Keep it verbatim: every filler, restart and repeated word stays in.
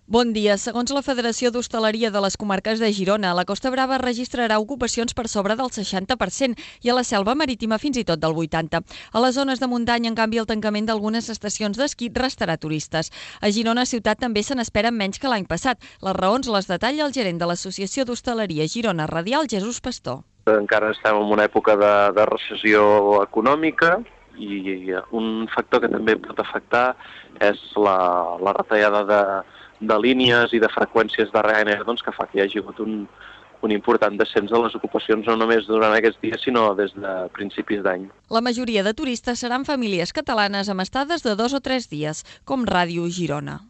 Bon dia. Segons la Federació d'Hostaleria de les Comarques de Girona, la Costa Brava registrarà ocupacions per sobre del seixanta per cent i a la Selva Marítima fins i tot del vuitanta per cent. A les zones de muntanya, en canvi, el tancament d'algunes estacions d'esquí restarà turistes. A Girona ciutat també se n'esperen menys que l'any passat. Les raons les detalla el gerent de l'Associació d'Hostaleria Girona Radial, Jesús Pastor. Encara estem en una època de, de recessió econòmica i un factor que també pot afectar és la, la retallada de de línies i de freqüències de Ryanair, doncs, que fa que hi hagi hagut un, un important descens de les ocupacions no només durant aquests dies, sinó des de principis d'any. La majoria de turistes seran famílies catalanes amb estades de dos o tres dies, com Ràdio Girona.